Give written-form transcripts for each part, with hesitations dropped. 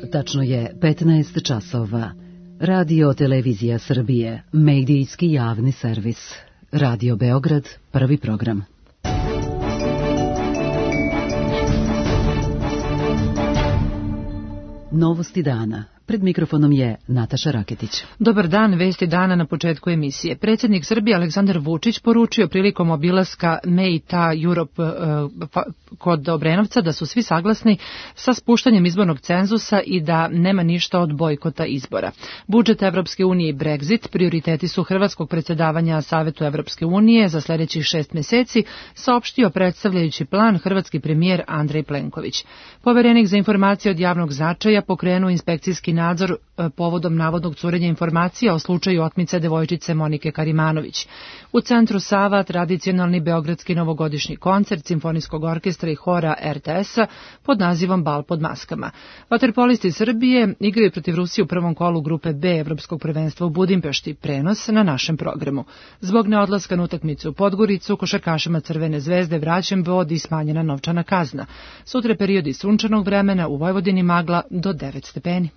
Tačno je 15 časova. Radio Televizija Srbije, medijski javni servis. Radio Beograd, prvi program. Novosti dana. Pred mikrofonom je Nataša Raketić. Dobar dan, vesti dana na početku emisije. Predsjednik Srbije Aleksandar Vučić poručio prilikom obilaska Meita Europe kod Obrenovca da su svi saglasni sa spuštanjem izbornog cenzusa i da nema ništa od bojkota izbora. Budžet Evropske unije i Brexit prioriteti su hrvatskog predsjedavanja Savetu Evropske unije za sljedećih 6 mjeseci, saopštio predstavljajući plan hrvatski premijer Andrej Plenković. Poverenik za informacije od javnog značaja pokrenuo inspekcijski nadzor povodom navodnog curenja informacija o slučaju otmice devojčice Monike Karimanović. U centru Sava tradicionalni beogradski novogodišnji koncert Simfonijskog orkestra i hora RTS-a pod nazivom Bal pod maskama. Vaterpolisti Srbije igraju protiv Rusije u prvom kolu grupe B Evropskog prvenstva u Budimpešti, prenos na našem programu. Zbog neodlaska na utakmicu u Podgoricu, košarkašima Crvene zvezde vraćen bod i smanjena novčana kazna. Sutra periodi sunčanog vremena, u Vojvodini magla do 9 stepeni.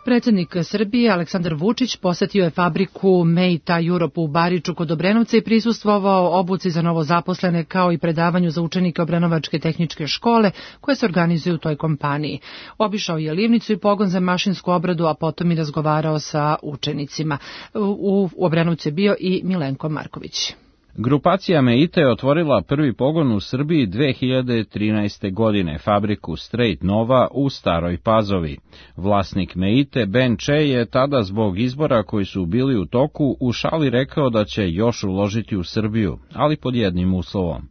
Predsjednik Srbije Aleksandar Vučić posjetio je fabriku Meita Europe u Bariču kod Obrenovca i prisustvovao obuci za novozaposlene kao i predavanju za učenike Obrenovačke tehničke škole koje se organizuju u toj kompaniji. Obišao je livnicu i pogon za mašinsku obradu, a potom i razgovarao sa učenicima. U Obrenovcu je bio i Milenko Marković. Grupacija Meita je otvorila prvi pogon u Srbiji 2013. godine, fabriku Straight Nova u Staroj Pazovi. Vlasnik Meite, Ben Che, je tada zbog izbora koji su bili u toku u šali rekao da će još uložiti u Srbiju, ali pod jednim uslovom.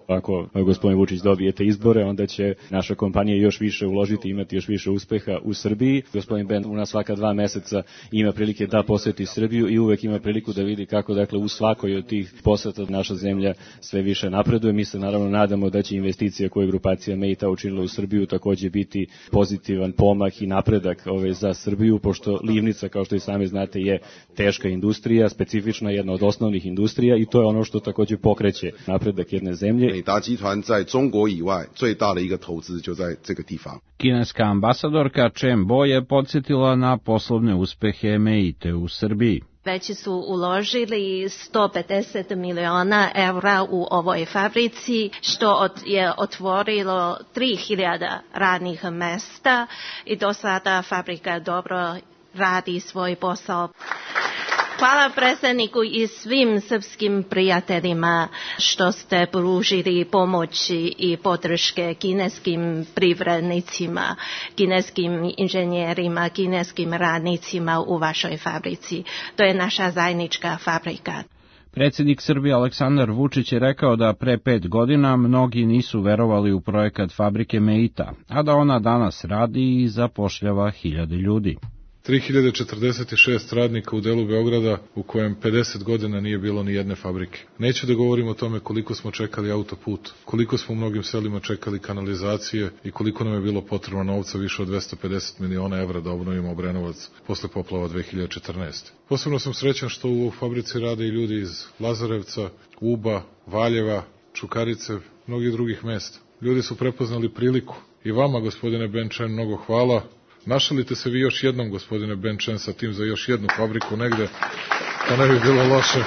Ako gospodin Vučić dobijete izbore, onda će naša kompanija još više uložiti, imati još više uspeha u Srbiji. Gospodin Ben u nas svaka 2 meseca ima prilike da poseti Srbiju i uvek ima priliku da vidi kako, dakle, u svakoj od tih poseta naša zemlja sve više napreduje. Mi se naravno nadamo da će investicija koju je grupacija Meita učinila u Srbiju takođe biti pozitivan pomak i napredak za Srbiju, pošto livnica, kao što i sami znate, je teška industrija, specifična, jedna od osnovnih industrija, i to je ono što takođe pokreće napredak jedne zemlje. Kineska ambasadorka Chen Bo je podsjetila na poslovne uspehe Meite u Srbiji. Već su uložili 150 miliona evra u ovoj fabrici, što je otvorilo 3000 radnih mesta i do sada fabrika dobro radi svoj posao. Hvala predsjedniku i svim srpskim prijateljima što ste pružili pomoći i podrške kineskim privrednicima, kineskim inženjerima, kineskim radnicima u vašoj fabrici. To je naša zajednička fabrika. Predsjednik Srbije Aleksandar Vučić je rekao da pre 5 godina mnogi nisu verovali u projekat fabrike Meita, a da ona danas radi i zapošljava 1000 ljudi. 3046 radnika u delu Beograda u kojem 50 godina nije bilo ni jedne fabrike. Neću da govorim o tome koliko smo čekali autoput, koliko smo u mnogim selima čekali kanalizacije i koliko nam je bilo potrebno novca, više od 250 miliona evra da obnovimo Obrenovac posle poplava 2014. Posebno sam srećan što u fabrici rade i ljudi iz Lazarevca, Uba, Valjeva, Čukarice, mnogih drugih mesta. Ljudi su prepoznali priliku. I vama, gospodine Ben Chen, mnogo hvala. Našalite se vi još jednom, gospodine Ben Chen, sa tim za još jednu fabriku negde, to ne bi bilo loše.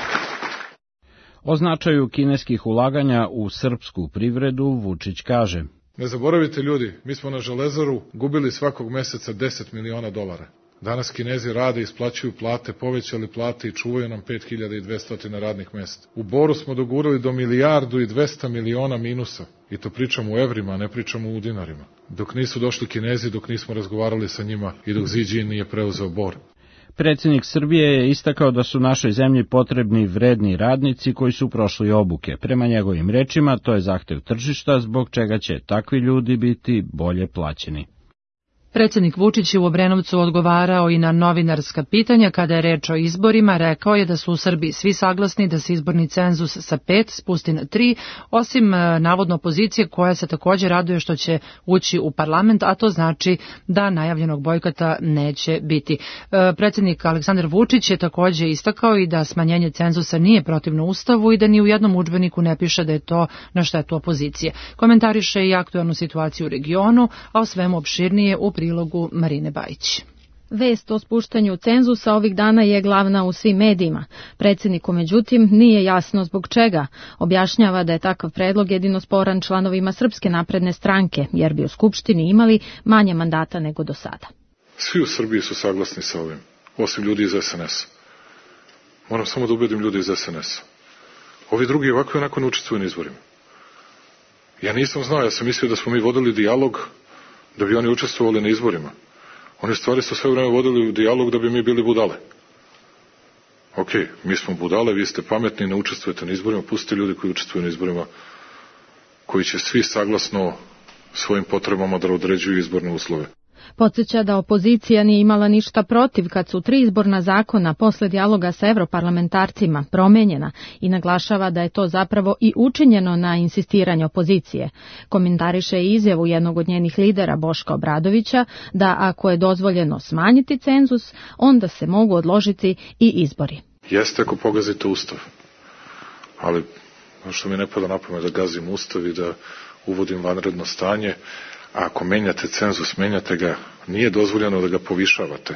O značaju kineskih ulaganja u srpsku privredu Vučić kaže: Ne zaboravite, ljudi, mi smo na Železaru gubili svakog meseca 10 miliona dolara. Danas Kinezi rade, isplaćuju plate, povećali plate i čuvaju nam 5200 radnih mesta. U Boru smo dogurali do 1,2 milijarde minusa. I to pričamo u evrima, a ne pričamo u dinarima. Dok nisu došli Kinezi, dok nismo razgovarali sa njima i dok Xi Jinping nije preuzeo Bor. Predsjednik Srbije je istakao da su našoj zemlji potrebni vredni radnici koji su prošli obuke. Prema njegovim rečima, to je zahtev tržišta, zbog čega će takvi ljudi biti bolje plaćeni. Predsjednik Vučić je u Obrenovcu odgovarao i na novinarska pitanja kada je reč o izborima. Rekao je da su u Srbiji svi saglasni da se izborni cenzus sa 5 spusti na 3, osim navodno opozicije koja se također raduje što će ući u parlament, a to znači da najavljenog bojkota neće biti. Predsjednik Aleksandar Vučić je također istakao i da smanjenje cenzusa nije protivno Ustavu i da ni u jednom udžbeniku ne piše da je to na štetu opozicije. Komentariše i aktualnu situaciju u regionu, a o svemu opširnije u prilogu Marine Bajić. Vest o spuštanju cenzusa ovih dana je glavna u svim medijima. Predsjedniku, međutim, nije jasno zbog čega. Objašnjava da je takav predlog jedino sporan članovima Srpske napredne stranke, jer bi u Skupštini imali manje mandata nego do sada. Svi u Srbiji su saglasni sa ovim, osim ljudi iz SNS. Moram samo da ubedim ljudi iz SNS. Ovi drugi ovako i onako ne učestvuju na izborima. Ja nisam znao, ja sam mislio da smo mi vodili dijalog da bi oni učestvovali na izborima. Oni stvari su sve vreme vodili u dijalog da bi mi bili budale. Ok, mi smo budale, vi ste pametni, ne učestvujete na izborima, pustite ljudi koji učestvuju na izborima, koji će svi saglasno svojim potrebama da određuju izborne uslove. Podsjeća da opozicija nije imala ništa protiv kad su 3 izborna zakona posle dijaloga sa evroparlamentarcima promenjena i naglašava da je to zapravo i učinjeno na insistiranje opozicije. Komentariše i izjavu jednog od njenih lidera Boška Obradovića da ako je dozvoljeno smanjiti cenzus, onda se mogu odložiti i izbori. Jeste ako pogazite Ustav, ali što mi ne pada na pamet da gazim Ustav i da uvodim vanredno stanje. A ako menjate cenzus, menjate ga, nije dozvoljeno da ga povišavate,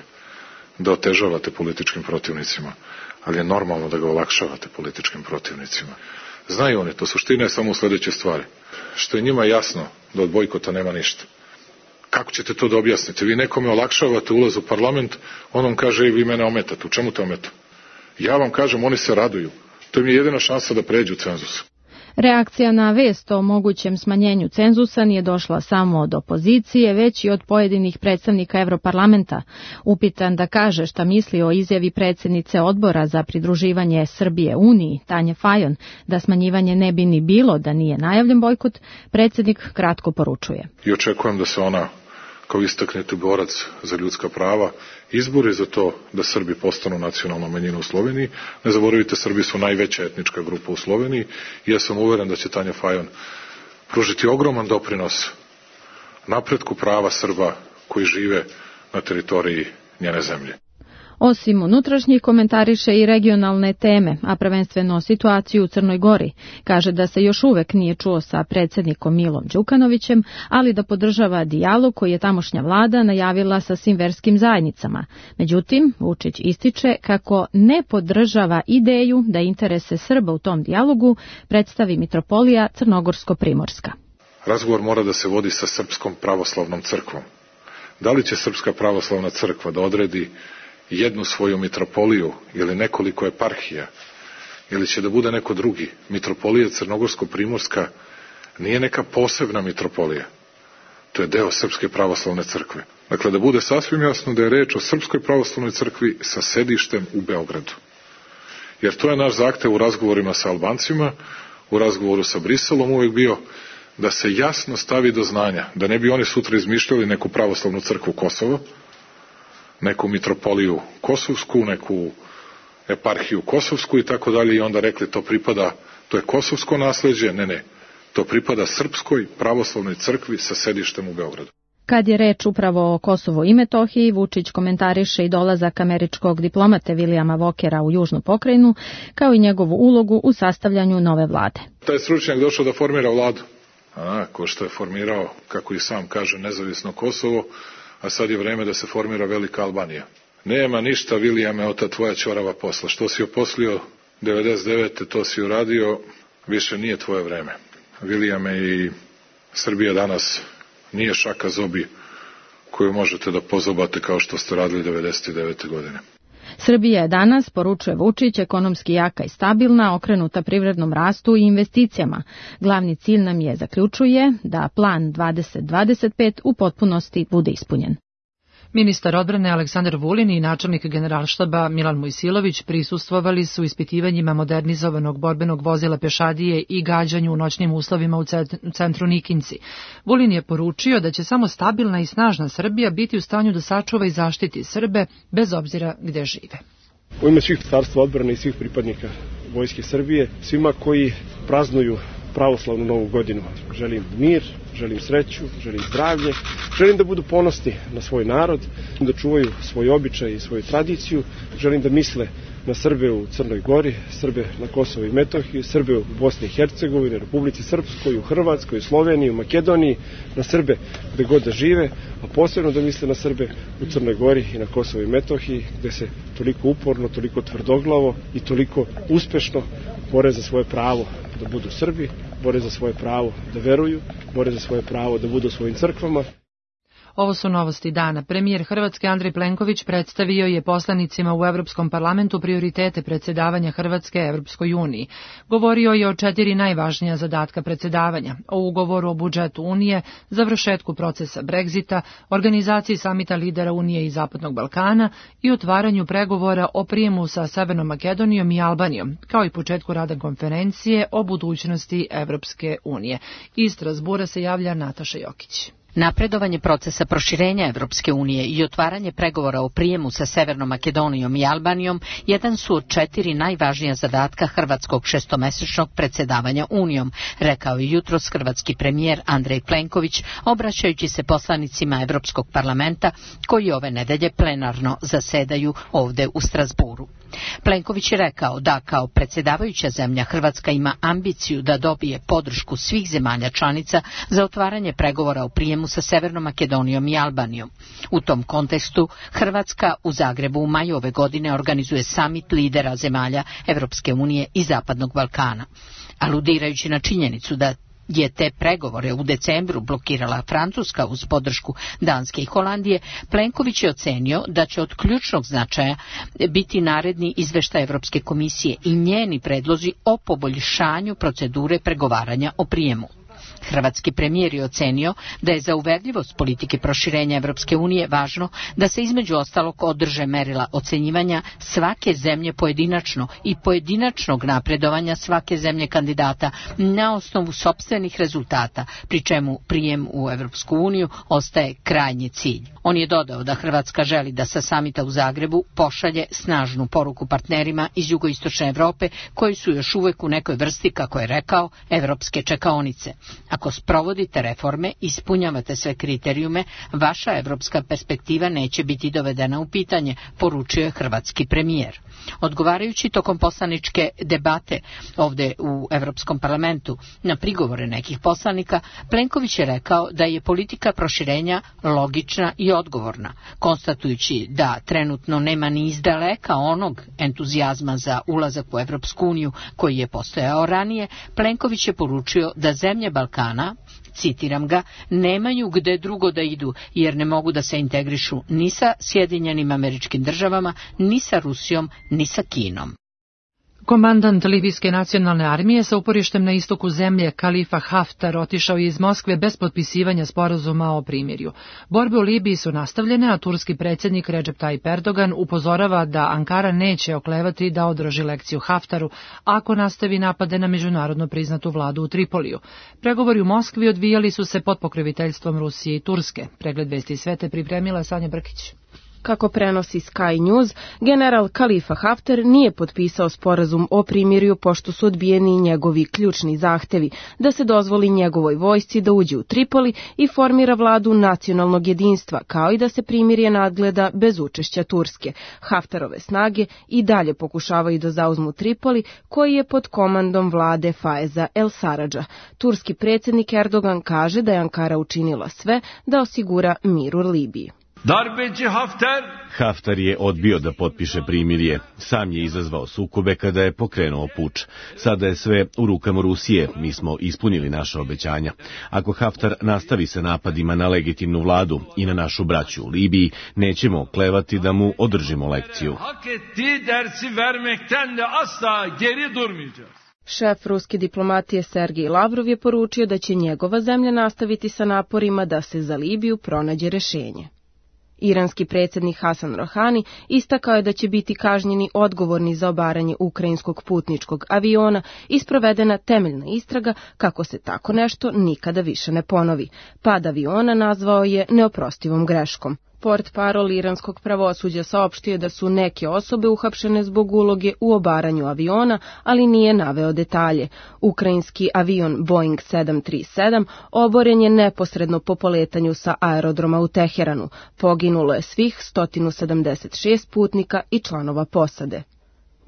da otežavate političkim protivnicima, ali je normalno da ga olakšavate političkim protivnicima. Znaju oni, to suština je samo u sledeće stvari. Što je njima jasno da od bojkota nema ništa. Kako ćete to da objasnite? Vi nekome olakšavate ulaz u parlament, on vam kaže, vi mene ometate. U čemu te ometa? Ja vam kažem, oni se raduju. To im je jedina šansa da pređu cenzus. Reakcija na vest o mogućem smanjenju cenzusa nije došla samo od opozicije, već i od pojedinih predstavnika Evroparlamenta. Upitan da kaže šta misli o izjavi predsjednice odbora za pridruživanje Srbije Uniji, Tanje Fajon, da smanjivanje ne bi ni bilo da nije najavljen bojkot, predsjednik kratko poručuje. I očekujem da se ona, kao istaknuti borac za ljudska prava, izbori za to da Srbi postanu nacionalna manjina u Sloveniji. Ne zaboravite, Srbi su najveća etnička grupa u Sloveniji i ja sam uveren da će Tanja Fajon pružiti ogroman doprinos napretku prava Srba koji žive na teritoriji njene zemlje. Osim unutrašnjih, komentariše i regionalne teme, a prvenstveno situaciju u Crnoj Gori. Kaže da se još uvek nije čuo sa predsjednikom Milom Đukanovićem, ali da podržava dijalog koji je tamošnja vlada najavila sa svim verskim zajednicama. Međutim, Vučić ističe kako ne podržava ideju da interese Srba u tom dijalogu predstavi mitropolija Crnogorsko-Primorska. Razgovor mora da se vodi sa Srpskom pravoslavnom crkvom. Da li će Srpska pravoslavna crkva da odredi jednu svoju mitropoliju ili nekoliko eparhija, ili će da bude neko drugi? Mitropolija Crnogorsko-Primorska nije neka posebna mitropolija. To je deo Srpske pravoslavne crkve. Dakle, da bude sasvim jasno da je reč o Srpskoj pravoslavnoj crkvi sa sedištem u Beogradu. Jer to je naš zahtev u razgovorima sa Albancima, u razgovoru sa Briselom uvek bio, da se jasno stavi do znanja, da ne bi oni sutra izmišljali neku pravoslavnu crkvu Kosova, neku mitropoliju kosovsku, neku eparhiju kosovsku i tako dalje, i onda rekli to pripada, to je kosovsko nasleđe, ne, to pripada Srpskoj pravoslavnoj crkvi sa sedištem u Beogradu. Kad je reč upravo o Kosovu i Metohiji, Vučić komentariše i dolazak američkog diplomate Williama Walkera u južnu pokrajinu, kao i njegovu ulogu u sastavljanju nove vlade. Taj stručnjak došao da formira vladu, ko što je formirao, kako i sam kaže, nezavisno Kosovo, a sad je vreme da se formira velika Albanija. Nema ništa, Williame, od ta tvoja ćorava posla. Što si oposlio 99. to si uradio, više nije tvoje vreme. Williame, i Srbija danas nije šaka zobi koju možete da pozobate kao što ste radili 99. godine. Srbija je danas, poručuje Vučić, ekonomski jaka i stabilna, okrenuta privrednom rastu i investicijama. Glavni cilj nam je, zaključuje, da plan 2025 u potpunosti bude ispunjen. Ministar odbrane Aleksandar Vulin i načelnik Generalštaba Milan Mojsilović prisustvovali su ispitivanjima modernizovanog borbenog vozila pešadije i gađanju u noćnim uslovima u centru Nikinci. Vulin je poručio da će samo stabilna i snažna Srbija biti u stanju da sačuva i zaštiti Srbe bez obzira gde žive. U ime svih Ministarstva odbrane i svih pripadnika Vojske Srbije, svima koji praznuju pravoslavnu novu godinu, želim mir, želim sreću, želim zdravlje, želim da budu ponosni na svoj narod, da čuvaju svoj običaj i svoju tradiciju, želim da misle na Srbe u Crnoj Gori, Srbe na Kosovo i Metohiji, Srbe u Bosni i Hercegovini, Republici Srpskoj, u Hrvatskoj, u Sloveniji, u Makedoniji, na Srbe gde god da žive, a posebno da misle na Srbe u Crnoj Gori i na Kosovo i Metohiji, gde se toliko uporno, toliko tvrdoglavo i toliko uspešno bore za svoje pravo da budu Srbi, bore za svoje pravo da veruju, bore za svoje pravo da budu u svojim crkvama. Ovo su novosti dana. Premijer Hrvatske Andrej Plenković predstavio je poslanicima u Evropskom parlamentu prioritete predsjedavanja Hrvatske Evropskoj uniji. Govorio je o 4 najvažnija zadatka predsjedavanja, o ugovoru o budžetu Unije, završetku procesa Brexita, organizaciji samita lidera Unije i Zapadnog Balkana i otvaranju pregovora o prijemu sa Severnom Makedonijom i Albanijom, kao i početku rada konferencije o budućnosti Evropske unije. Iz Strasbura se javlja Nataša Jokić. Napredovanje procesa proširenja Evropske unije i otvaranje pregovora o prijemu sa Severnom Makedonijom i Albanijom jedan su od 4 najvažnija zadatka hrvatskog šestomesečnog predsjedavanja Unijom, rekao je jutros hrvatski premijer Andrej Plenković, obraćajući se poslanicima Evropskog parlamenta koji ove nedelje plenarno zasedaju ovde u Strasburu. Plenković je rekao da kao predsjedavajuća zemlja Hrvatska ima ambiciju da dobije podršku svih zemalja članica za otvaranje pregovora o prijemu sa Severnom Makedonijom i Albanijom. U tom kontekstu Hrvatska u Zagrebu u maju ove godine organizuje samit lidera zemalja Evropske unije i Zapadnog Balkana. Aludirajući na činjenicu da je te pregovore u decembru blokirala Francuska uz podršku Danske i Holandije, Plenković je ocenio da će od ključnog značaja biti naredni izveštaj Evropske komisije i njeni predlozi o poboljšanju procedure pregovaranja o prijemu. Hrvatski premijer je ocenio da je za uverljivost politike proširenja Evropske unije važno da se između ostalog održe merila ocenjivanja svake zemlje pojedinačno i pojedinačnog napredovanja svake zemlje kandidata na osnovu sopstvenih rezultata, pri čemu prijem u Evropsku uniju ostaje krajnji cilj. On je dodao da Hrvatska želi da sa samita u Zagrebu pošalje snažnu poruku partnerima iz jugoistočne Evrope koji su još uvek u nekoj vrsti, kako je rekao, evropske čekaonice. Ako sprovodite reforme, ispunjavate sve kriterijume, vaša evropska perspektiva neće biti dovedena u pitanje, poručio je hrvatski premijer. Odgovarajući tokom poslaničke debate ovde u Evropskom parlamentu na prigovore nekih poslanika, Plenković je rekao da je politika proširenja logična i odgovorna, konstatujući da trenutno nema ni izdaleka onog entuzijazma za ulazak u Evropsku uniju koji je postojao ranije. Plenković je poručio da zemlje Balkana, citiram ga, nemaju gde drugo da idu, jer ne mogu da se integrišu ni sa Sjedinjenim Američkim Državama, ni sa Rusijom, ni sa Kinom. Komandant Libijske nacionalne armije sa uporištem na istoku zemlje Khalifa Haftar otišao je iz Moskve bez potpisivanja sporazuma o primirju. Borbe u Libiji su nastavljene, a turski predsjednik Recep Tayyip Erdogan upozorava da Ankara neće oklevati da održi lekciju Haftaru ako nastavi napade na međunarodno priznatu vladu u Tripoliju. Pregovori u Moskvi odvijali su se pod pokroviteljstvom Rusije i Turske. Pregled vesti svete pripremila Sanja Brkić. Kako prenosi Sky News, general Khalifa Haftar nije potpisao sporazum o primirju pošto su odbijeni njegovi ključni zahtevi da se dozvoli njegovoj vojsci da uđe u Tripoli i formira vladu nacionalnog jedinstva, kao i da se primirje nadgleda bez učešća Turske. Haftarove snage i dalje pokušavaju da zauzmu Tripoli, koji je pod komandom vlade Faiza el-Saradža. Turski predsjednik Erdogan kaže da je Ankara učinila sve da osigura mir u Libiji. Haftar je odbio da potpiše primirje. Sam je izazvao sukobe kada je pokrenuo puč. Sada je sve u rukama Rusije. Mi smo ispunili naša obećanja. Ako Haftar nastavi sa napadima na legitimnu vladu i na našu braću u Libiji, nećemo klevati da mu održimo lekciju. Šef ruske diplomatije Sergej Lavrov je poručio da će njegova zemlja nastaviti sa naporima da se za Libiju pronađe rešenje. Iranski predsjednik Hasan Rohani istakao je da će biti kažnjeni odgovorni za obaranje ukrajinskog putničkog aviona i sprovedena temeljna istraga kako se tako nešto nikada više ne ponovi. Pad aviona nazvao je neoprostivom greškom. Portparol iranskog pravosuđa saopštio da su neke osobe uhapšene zbog uloge u obaranju aviona, ali nije naveo detalje. Ukrajinski avion Boeing 737 oboren je neposredno po poletanju sa aerodroma u Teheranu. Poginulo je svih 176 putnika i članova posade.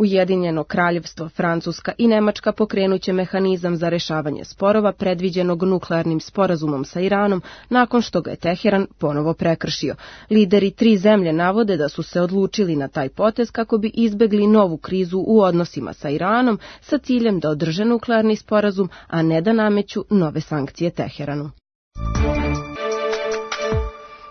Ujedinjeno Kraljevstvo, Francuska i Nemačka pokrenuće mehanizam za rešavanje sporova predviđenog nuklearnim sporazumom sa Iranom nakon što ga je Teheran ponovo prekršio. Lideri 3 zemlje navode da su se odlučili na taj potez kako bi izbegli novu krizu u odnosima sa Iranom sa ciljem da održe nuklearni sporazum, a ne da nameću nove sankcije Teheranu.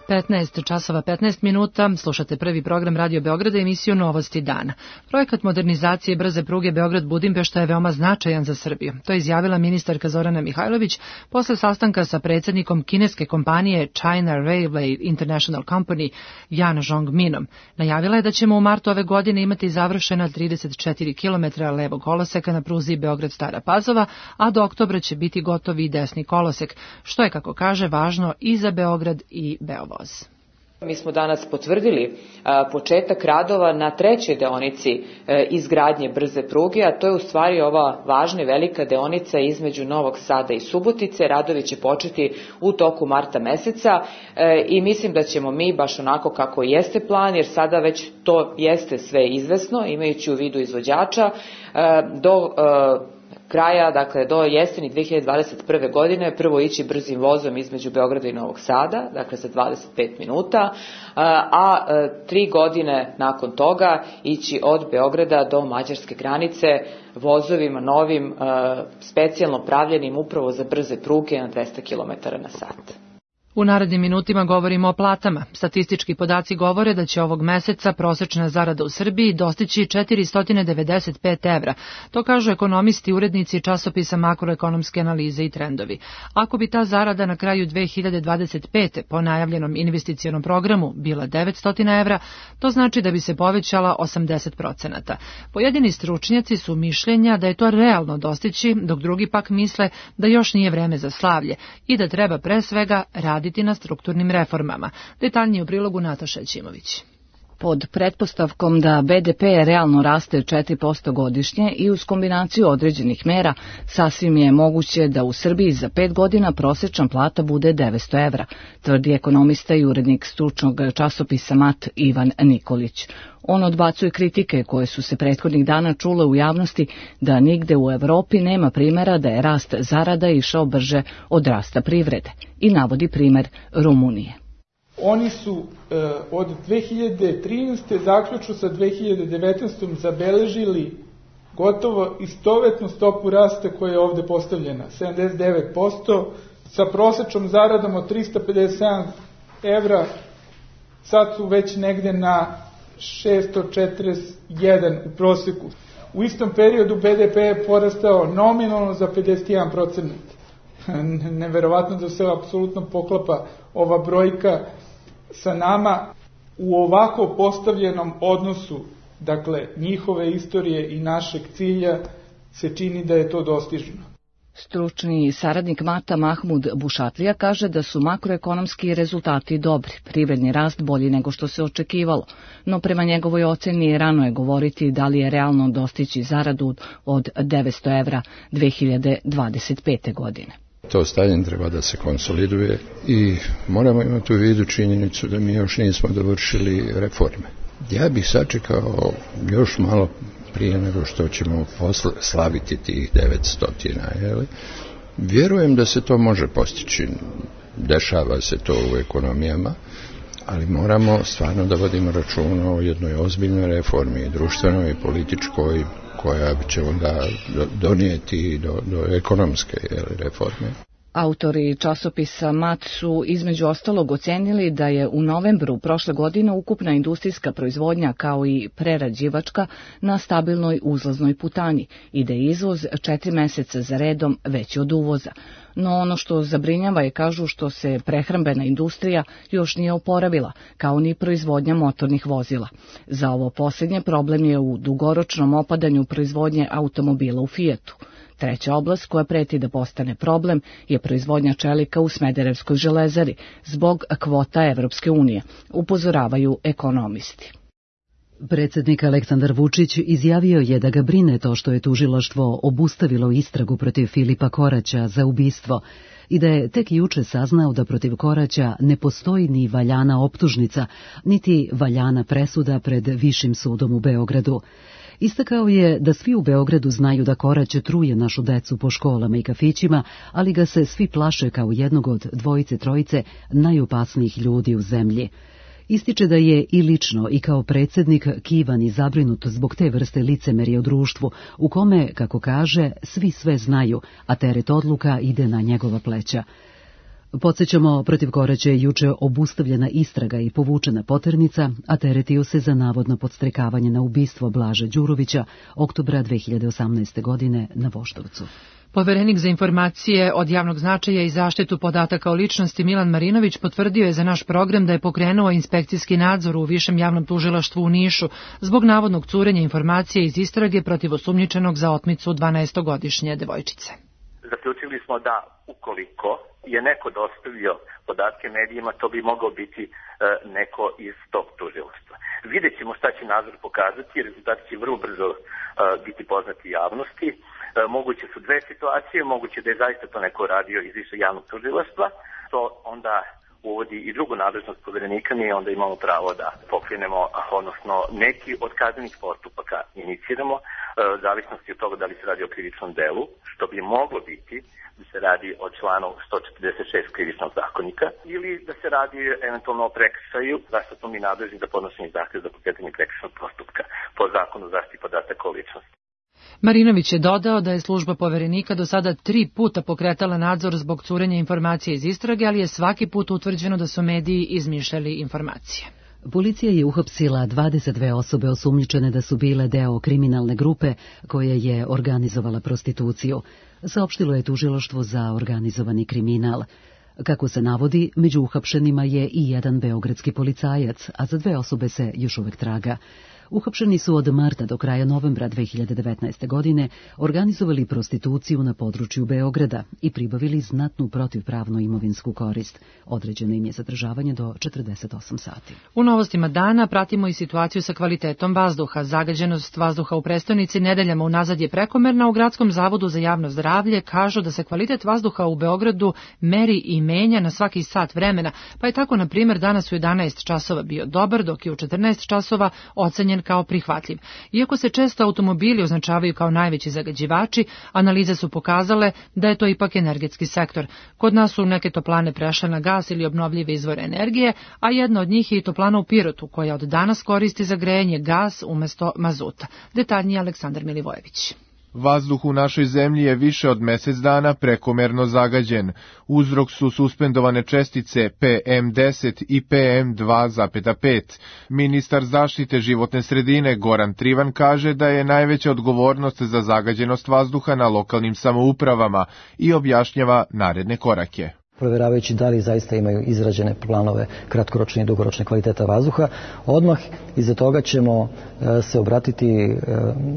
15 časova 15 minuta, slušate prvi program Radio Beograda, emisiju Novosti dana. Projekat modernizacije brze pruge Beograd-Budimpešta je veoma značajan za Srbiju. To je izjavila ministarka Zorana Mihajlović posle sastanka sa predsjednikom kineske kompanije China Railway International Company Jan Zhongminom. Najavila je da ćemo u martu ove godine imati završena 34 km levog koloseka na pruzi Beograd-Stara Pazova, a do oktobra će biti gotovi i desni kolosek, što je, kako kaže, važno i za Beograd i Beovoz. Mi smo danas potvrdili početak radova na trećoj deonici izgradnje brze pruge, a to je u stvari ova važna i velika deonica između Novog Sada i Subotice. Radovi će početi u toku marta meseca i mislim da ćemo mi, baš onako kako jeste plan, jer sada već to jeste sve izvesno, imajući u vidu izvođača, do kraja, dakle do jeseni 2021. godine, prvo ići brzim vozom između Beograda i Novog Sada, dakle za 25 minuta, a 3 godine nakon toga ići od Beograda do mađarske granice vozovima novim, specijalno pravljenim upravo za brze pruge na 200 km na sat. U narednim minutima govorimo o platama. Statistički podaci govore da će ovog meseca prosečna zarada u Srbiji dostići 495 evra. To kažu ekonomisti, urednici časopisa Makroekonomske analize i trendovi. Ako bi ta zarada na kraju 2025. po najavljenom investicionom programu bila 900 evra, to znači da bi se povećala 80%. Pojedini stručnjaci su mišljenja da je to realno dostići, dok drugi pak misle da još nije vreme za slavlje i da treba pre svega raditi na strukturnim reformama. Detaljnije u prilogu Nataša Ćimović. Pod pretpostavkom da BDP realno raste 4% godišnje i uz kombinaciju određenih mera, sasvim je moguće da u Srbiji za 5 godina prosečna plata bude 900 evra, tvrdi ekonomista i urednik stručnog časopisa MAT Ivan Nikolić. On odbacuje kritike koje su se prethodnih dana čule u javnosti da nigde u Evropi nema primjera da je rast zarada išao brže od rasta privrede i navodi primer Rumunije. Oni su od 2013. zaključno sa 2019. zabeležili gotovo istovetnu stopu rasta koja je ovde postavljena, 79%, sa prosečnom zaradom od 357 evra, sad su već negde na 641 u proseku. U istom periodu BDP je porastao nominalno za 51%. Neverovatno da se apsolutno poklapa ova brojka sa nama u ovako postavljenom odnosu, dakle njihove istorije i našeg cilja, se čini da je to dostižno. Stručni saradnik Mata Mahmud Bušatlija kaže da su makroekonomski rezultati dobri, privredni rast bolji nego što se očekivalo, no prema njegovoj oceni rano je govoriti da li je realno dostići zaradu od 900 evra 2025. godine. To stanje treba da se konsoliduje i moramo imati u vidu činjenicu da mi još nismo dovršili reforme. Ja bih sačekao još malo prije nego što ćemo slaviti tih 900, Vjerujem da se to može postići. Dešava se to u ekonomijama, ali moramo stvarno da vodimo računa o jednoj ozbiljnoj reformi, društvenoj i političkoj, koja će onda donijeti do ekonomske reforme. Autori časopisa MAT su između ostalog ocenili da je u novembru prošle godine ukupna industrijska proizvodnja kao i prerađivačka na stabilnoj uzlaznoj putanji i da je izvoz 4 meseca za redom veći od uvoza. No ono što zabrinjava je, kažu, što se prehrambena industrija još nije oporavila, kao ni proizvodnja motornih vozila. Za ovo posljednje problem je u dugoročnom opadanju proizvodnje automobila u Fijatu. Treća oblast koja preti da postane problem je proizvodnja čelika u Smederevskoj železari zbog kvota Evropske unije, upozoravaju ekonomisti. Predsjednik Aleksandar Vučić izjavio je da ga brine to što je tužilaštvo obustavilo istragu protiv Filipa Koraća za ubistvo i da je tek juče saznao da protiv Koraća ne postoji ni valjana optužnica, niti valjana presuda pred Višim sudom u Beogradu. Istakao je da svi u Beogradu znaju da Korać truje našu decu po školama i kafićima, ali ga se svi plaše kao jednog od dvojice-trojice najopasnijih ljudi u zemlji. Ističe da je i lično i kao predsjednik kivan i zabrinut zbog te vrste licemerja u društvu, u kome, kako kaže, svi sve znaju, a teret odluka ide na njegova pleća. Podsjećamo, protiv Koraća je juče obustavljena istraga i povučena poternica, a teretio se za navodno podstrekavanje na ubistvo Blaža Đurovića oktobra 2018. godine na Voždovcu. Poverenik za informacije od javnog značaja i zaštitu podataka o ličnosti Milan Marinović potvrdio je za naš program da je pokrenuo inspekcijski nadzor u Višem javnom tužilaštvu u Nišu zbog navodnog curenja informacije iz istrage protiv osumnjičenog za otmicu 12-godišnje devojčice. Zaključili smo da ukoliko je neko dostavio podatke medijima, to bi mogao biti neko iz tog tužilaštva. Vidjet ćemo šta će nadzor pokazati, rezultati će vrlo brzo biti poznati javnosti. Moguće su dve situacije, moguće da je zaista to neko radio iz Višeg javnog tužilaštva, to onda uvodi i drugu nadležnost poverenika, mi onda imamo pravo da pokrenemo, odnosno neki od kaznenih postupaka iniciramo, zavisnosti od toga da li se radi o krivičnom delu, što bi moglo biti da se radi o članu 146 krivičnog zakonika, ili da se radi eventualno o prekršaju, zašto smo mi nadležni za podnošenje zahtjeva za pokretanje prekršajnog postupka po zakonu o zaštiti podataka o ličnosti. Marinović je dodao da je služba poverenika do sada 3 puta pokretala nadzor zbog curenja informacije iz istrage, ali je svaki put utvrđeno da su mediji izmišljali informacije. Policija je uhapsila 22 osobe osumnjičene da su bile deo kriminalne grupe koja je organizovala prostituciju, saopštilo je tužilaštvo za organizovani kriminal. Kako se navodi, među uhapšenima je i jedan beogradski policajac, a za 2 osobe se još uvek traga. Uhapšeni su od marta do kraja novembra 2019. godine organizovali prostituciju na području Beograda i pribavili znatnu protivpravnu imovinsku korist. Određeno im je zadržavanje do 48 sati. U novostima dana pratimo i situaciju sa kvalitetom vazduha. Zagađenost vazduha u prestonici nedeljama unazad je prekomerna. U Gradskom zavodu za javno zdravlje kažu da se kvalitet vazduha u Beogradu meri i menja na svaki sat vremena, pa je tako, na primjer, danas u 11 časova bio dobar, dok je u 14 časova ocenjen kao prihvatljiv. Iako se često automobili označavaju kao najveći zagađivači, analize su pokazale da je to ipak energetski sektor. Kod nas su neke toplane prešle na gas ili obnovljive izvore energije, a jedna od njih je i toplana u Pirotu, koja od danas koristi za grejanje gas umjesto mazuta. Detaljnije Aleksandar Milivojević. Vazduh u našoj zemlji je više od mjesec dana prekomerno zagađen. Uzrok su suspendovane čestice PM10 i PM2,5. Ministar zaštite životne sredine Goran Trivan kaže da je najveća odgovornost za zagađenost vazduha na lokalnim samoupravama i objašnjava naredne korake. Provjeravajući da li zaista imaju izrađene planove kratkoročne i dugoročne kvaliteta vazduha. Odmah iza toga ćemo se obratiti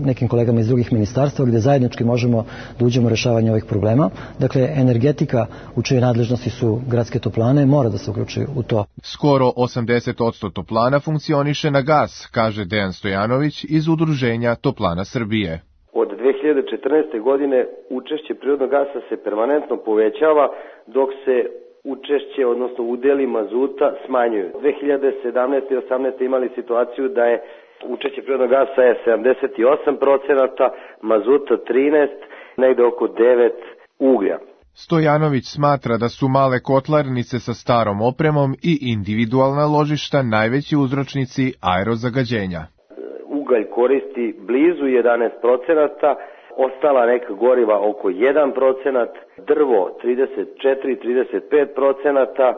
nekim kolegama iz drugih ministarstva gdje zajednički možemo da uđemo u rješavanje ovih problema. Dakle, energetika u čijoj nadležnosti su gradske toplane mora da se uključi u to. Skoro 80% toplana funkcioniše na gas, kaže Dejan Stojanović iz Udruženja Toplana Srbije. Od 2014. godine učešće prirodnog gasa se permanentno povećava, dok se učešće, odnosno udjeli mazuta smanjuju. 2017. i 2018. imali situaciju da je učešće prirodnog gasa je 78%, mazuta 13%, negde oko 9% uglja. Stojanović smatra da su male kotlarnice sa starom opremom i individualna ložišta najveći uzročnici aerozagađenja. Ugalj koristi blizu 11%, ostala neka goriva oko 1%, drvo 34-35%,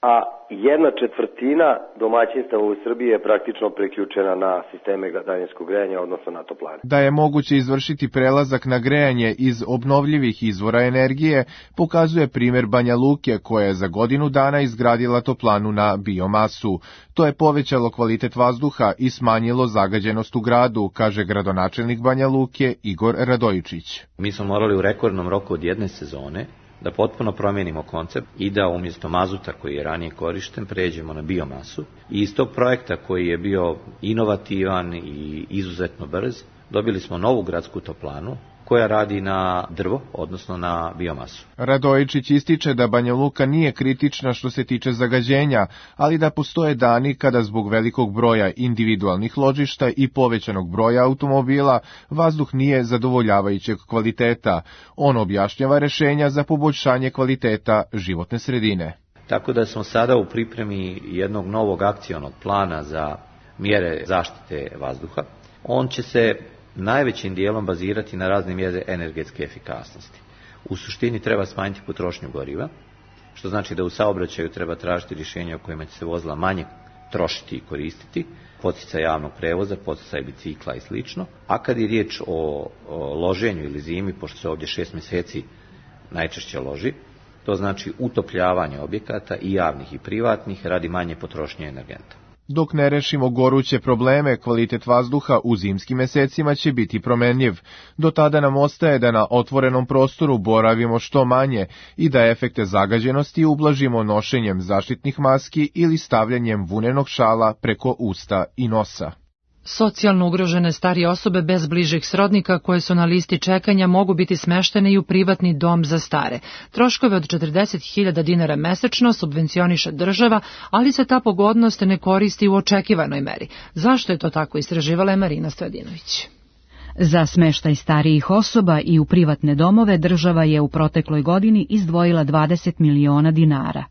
a 1/4 domaćinstava u Srbiji je praktično preključena na sisteme daljinskog grejanja, odnosno na toplane. Da je moguće izvršiti prelazak na grejanje iz obnovljivih izvora energije, pokazuje primjer Banja Luke, koja je za godinu dana izgradila toplanu na biomasu. To je povećalo kvalitet vazduha i smanjilo zagađenost u gradu, kaže gradonačelnik Banja Luke Igor Radojičić. Mi smo morali u rekordnom roku od jedne sezone da potpuno promijenimo koncept i da umjesto mazuta koji je ranije korišten pređemo na biomasu. I iz tog projekta koji je bio inovativan i izuzetno brz, dobili smo novu gradsku toplanu koja radi na drvo, odnosno na biomasu. Radojičić ističe da Banja Luka nije kritična što se tiče zagađenja, ali da postoje dani kada zbog velikog broja individualnih ložišta i povećanog broja automobila vazduh nije zadovoljavajućeg kvaliteta. On objašnjava rešenja za poboljšanje kvaliteta životne sredine. Tako da smo sada u pripremi jednog novog akcionog plana za mjere zaštite vazduha. On će se najvećim dijelom bazirati na razne mjere energetske efikasnosti. U suštini treba smanjiti potrošnju goriva, što znači da u saobraćaju treba tražiti rješenja u kojima će se vozila manje trošiti i koristiti, poticaj javnog prevoza, poticaj bicikla i slično. A kad je riječ o loženju ili zimi, pošto se ovdje 6 mjeseci najčešće loži, to znači utopljavanje objekata i javnih i privatnih radi manje potrošnje energenta. Dok ne rešimo goruće probleme, kvalitet vazduha u zimskim mesecima će biti promenljiv. Do tada nam ostaje da na otvorenom prostoru boravimo što manje i da efekte zagađenosti ublažimo nošenjem zaštitnih maski ili stavljanjem vunenog šala preko usta i nosa. Socijalno ugrožene starije osobe bez bližih srodnika koje su na listi čekanja mogu biti smeštene i u privatni dom za stare. Troškove od 40.000 dinara mesečno subvencioniše država, ali se ta pogodnost ne koristi u očekivanoj meri. Zašto je to tako, istraživala je Marina Stojadinović. Za smeštaj starijih osoba i u privatne domove država je u protekloj godini izdvojila 20 miliona dinara.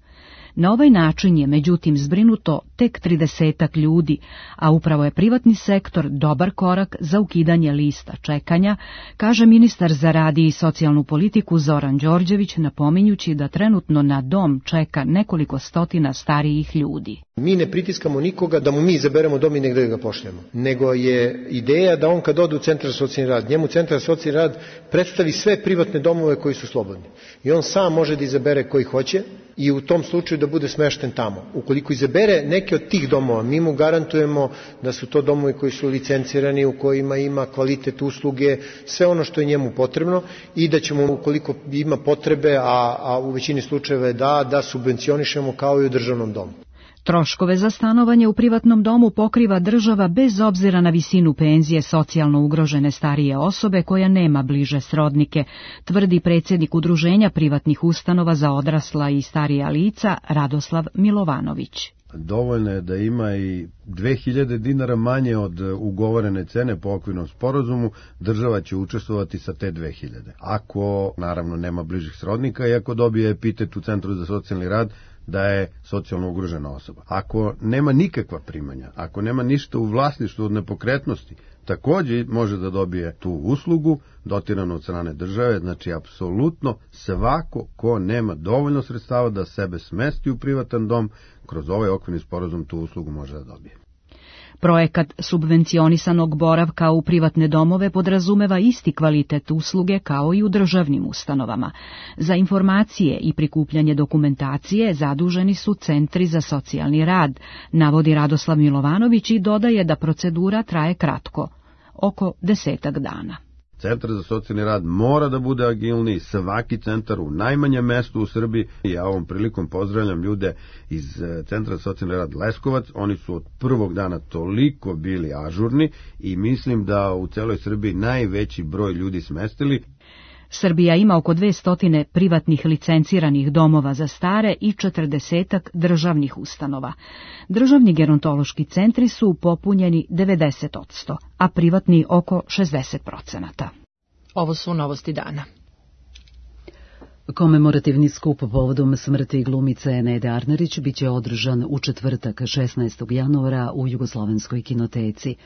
Na ovaj način je, međutim, zbrinuto tek 30 ljudi, a upravo je privatni sektor dobar korak za ukidanje lista čekanja, kaže ministar za rad i socijalnu politiku Zoran Đorđević, napominjući da trenutno na dom čeka nekoliko stotina starijih ljudi. Mi ne pritiskamo nikoga da mu mi izaberemo dom i negdje ga pošljemo, nego je ideja da on kad ode u centar za socijalni rad, njemu centar za socijalni rad predstavi sve privatne domove koji su slobodni. I on sam može da izabere koji hoće i u tom slučaju da bude smešten tamo. Ukoliko izabere neke od tih domova, mi mu garantujemo da su to domovi koji su licencirani, u kojima ima kvalitet usluge, sve ono što je njemu potrebno i da ćemo, ukoliko ima potrebe, a u većini slučajeva je da subvencionišemo kao i u državnom domu. Troškove za stanovanje u privatnom domu pokriva država bez obzira na visinu penzije socijalno ugrožene starije osobe koja nema bliže srodnike, tvrdi predsjednik Udruženja privatnih ustanova za odrasla i starija lica Radoslav Milovanović. Dovoljno je da ima i 2000 dinara manje od ugovorene cene po okvirnom sporazumu, država će učestvovati sa te 2000. Ako, naravno, nema bližih srodnika i ako dobije epitet u Centru za socijalni rad da je socijalno ugrožena osoba. Ako nema nikakva primanja, ako nema ništa u vlasništvu od nepokretnosti, također može da dobije tu uslugu dotiranu od strane države, znači apsolutno svako ko nema dovoljno sredstava da sebe smesti u privatan dom, kroz ovaj okvirni sporazum tu uslugu može da dobije. Projekat subvencionisanog boravka u privatne domove podrazumeva isti kvalitet usluge kao i u državnim ustanovama. Za informacije i prikupljanje dokumentacije zaduženi su centri za socijalni rad, navodi Radoslav Milovanović i dodaje da procedura traje kratko, oko 10 dana. Centar za socijalni rad mora da bude agilniji, svaki centar u najmanjem mestu u Srbiji. Ja ovom prilikom pozdravljam ljude iz Centra za socijalni rad Leskovac, oni su od prvog dana toliko bili ažurni i mislim da u celoj Srbiji najveći broj ljudi smestili. Srbija ima oko 200 privatnih licenciranih domova za stare i 40 državnih ustanova. Državni gerontološki centri su popunjeni 90%, a privatni oko 60%. Ovo su novosti dana. Komemorativni skup povodom smrti glumice Nede Arnerić biće održan u četvrtak 16. januara u Jugoslovenskoj kinoteci.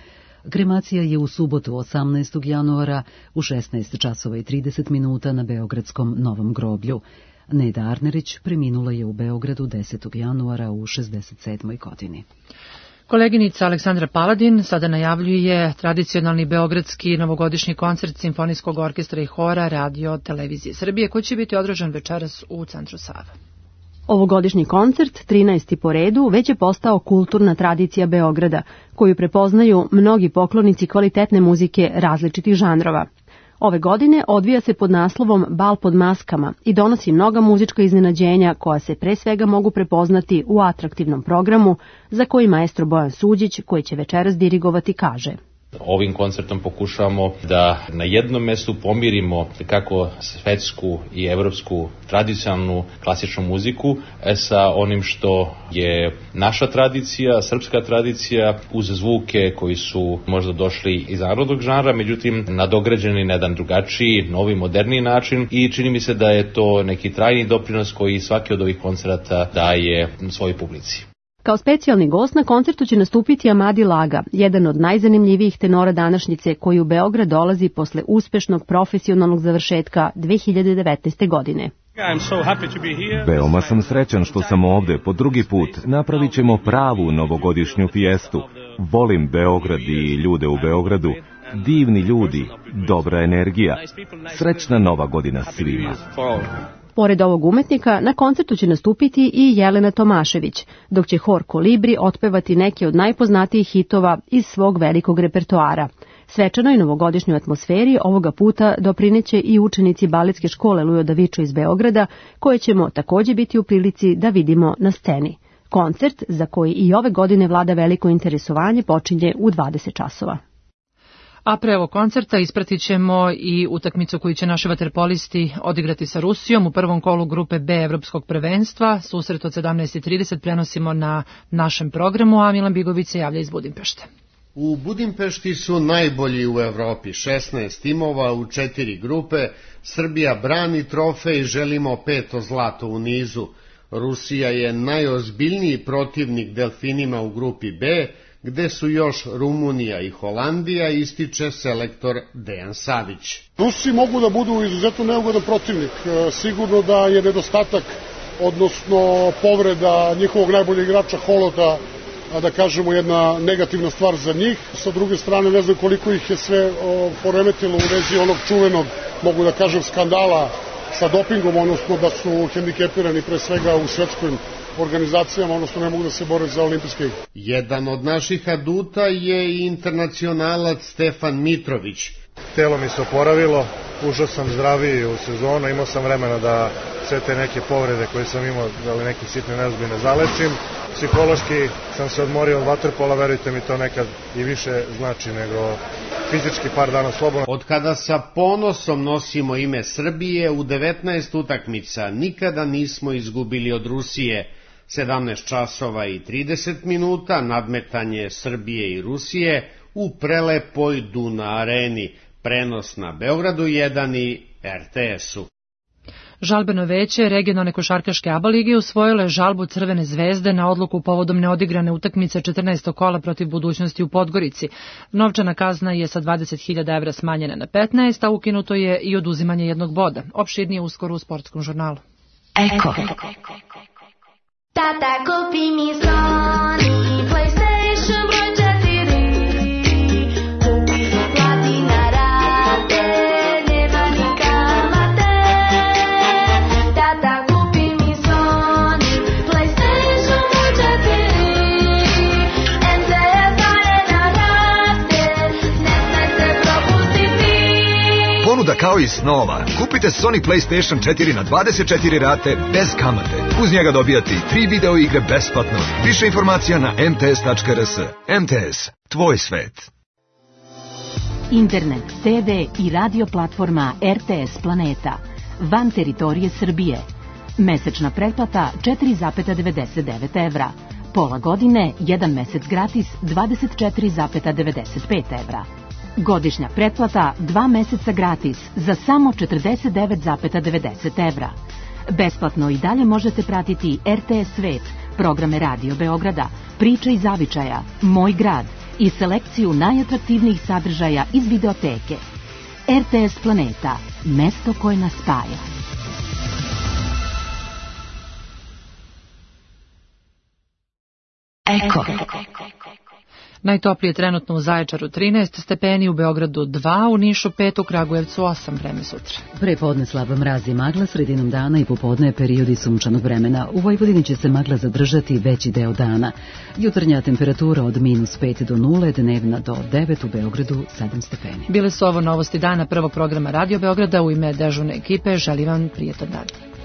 Kremacija je u subotu 18. januara u 16 časova i 30 minuta na Beogradskom Novom groblju. Neda Arnerić preminula je u Beogradu 10. januara u 67. godini. Koleginica Aleksandra Paladin sada najavljuje tradicionalni beogradski novogodišnji koncert Simfonijskog orkestra i hora Radio Televizije Srbije koji će biti održan večeras u centru Sava. Ovogodišnji koncert, 13. po redu, već je postao kulturna tradicija Beograda, koju prepoznaju mnogi poklonici kvalitetne muzike različitih žanrova. Ove godine odvija se pod naslovom Bal pod maskama i donosi mnoga muzička iznenađenja koja se pre svega mogu prepoznati u atraktivnom programu za koji maestro Bojan Suđić, koji će večeras dirigovati, kaže: Ovim koncertom pokušavamo da na jednom mestu pomirimo kako svetsku i evropsku tradicionalnu klasičnu muziku sa onim što je naša tradicija, srpska tradicija, uz zvuke koji su možda došli iz narodnog žanra, međutim nadograđeni na jedan drugačiji, novi, moderniji način i čini mi se da je to neki trajni doprinos koji svaki od ovih koncerata daje svojoj publici. Kao specijalni gost na koncertu će nastupiti Amadi Laga, jedan od najzanimljivijih tenora današnjice koji u Beograd dolazi posle uspešnog profesionalnog završetka 2019. godine. Veoma sam srećan što sam ovde po drugi put. Napravit ćemo pravu novogodišnju fijestu. Volim Beograd i ljude u Beogradu. Divni ljudi, dobra energija. Srećna nova godina svima. Pored ovog umetnika, na koncertu će nastupiti i Jelena Tomašević, dok će hor Kolibri otpevati neke od najpoznatijih hitova iz svog velikog repertoara. Svečanoj novogodišnjoj atmosferi ovoga puta doprineće i učenici baletske škole Lujo Davičo iz Beograda, koje ćemo takođe biti u prilici da vidimo na sceni. Koncert, za koji i ove godine vlada veliko interesovanje, počinje u 20 časova. A pre ovog koncerta ispratit ćemo i utakmicu koju će naši vaterpolisti odigrati sa Rusijom u prvom kolu grupe B Evropskog prvenstva. Susret od 17:30 prenosimo na našem programu, a Milan Bigović se javlja iz Budimpešte. U Budimpešti su najbolji u Evropi, 16 timova u 4 grupe. Srbija brani trofej, želimo 5. zlato u nizu. Rusija je najozbiljniji protivnik delfinima u grupi B, gde su još Rumunija i Holandija, ističe selektor Dejan Savić. Rusi mogu da budu izuzetno neugodan protivnik. Sigurno da je nedostatak, odnosno povreda njihovog najboljeg igrača Holota, da kažemo jedna negativna stvar za njih. Sa druge strane, ne znam koliko ih je sve poremetilo u vezi onog čuvenog, mogu da kažem, skandala sa dopingom, odnosno da su hendikepirani pre svega u svetskim organizacijama, odnosno ne mogu da se bore za olimpijske igre. Jedan od naših aduta je i internacionalac Stefan Mitrović. Telo mi se oporavilo, ušao sam zdraviji u sezonu, imao sam vremena da sve te neke povrede koje sam imao, da li neke sitne nezbine zalečim. Psihološki sam se odmorio od vaterpola, verujte mi, to nekad i više znači nego fizički par dana slobodno. Od kada sa ponosom nosimo ime Srbije, u 19 utakmica nikada nismo izgubili od Rusije. 17 časova i 30 minuta, nadmetanje Srbije i Rusije u prelepoj Duna areni, prenos na Beogradu 1 i RTS-u. Žalbeno veće regionalne košarkaške ABA lige usvojilo je žalbu Crvene zvezde na odluku povodom neodigrane utakmice 14. kola protiv Budućnosti u Podgorici. Novčana kazna je sa 20.000 evra smanjena na 15, a ukinuto je i oduzimanje jednog boda. Opširnije uskoro u sportskom žurnalu. Eko. Tata, kupi mi Sony PlayStation broj 4. Kupi ga, plati na rate, nema ni kamate. Tata, kupi mi Sony PlayStation broj 4. MTS Arena raste, ne smete propustiti. Ponuda kao i snova. Kupite Sony PlayStation 4 na 24 rate bez kamate. Uz njega dobijati 3 video igre besplatno. Više informacija na mts.rs. MTS. Tvoj svet. Internet, TV i radio platforma RTS Planeta. Van teritorije Srbije. Mesečna pretplata 4,99 evra. Pola godine, 1 mesec gratis 24,95 evra. Godišnja pretplata 2 meseca gratis za samo 49,90 evra. Besplatno i dalje možete pratiti RTS Svet, programe Radio Beograda, Priče iz Zavičaja, Moj grad i selekciju najatraktivnijih sadržaja iz videoteke. RTS Planeta, mesto koje nas spaja. Eko. Najtoplije trenutno u Zaječaru 13 stepeni, u Beogradu 2, u Nišu 5, u Kragujevcu 8, vreme sutra. Prepodne slaba mraz i magla, sredinom dana i popodne periodi sunčanog vremena. U Vojvodini će se magla zadržati veći deo dana. Jutarnja temperatura od -5 do 0, dnevna do 9, u Beogradu 7 stepeni. Bile su ovo novosti dana prvog programa Radio Beograda. U ime dežurne ekipe želim vam prijetan dan.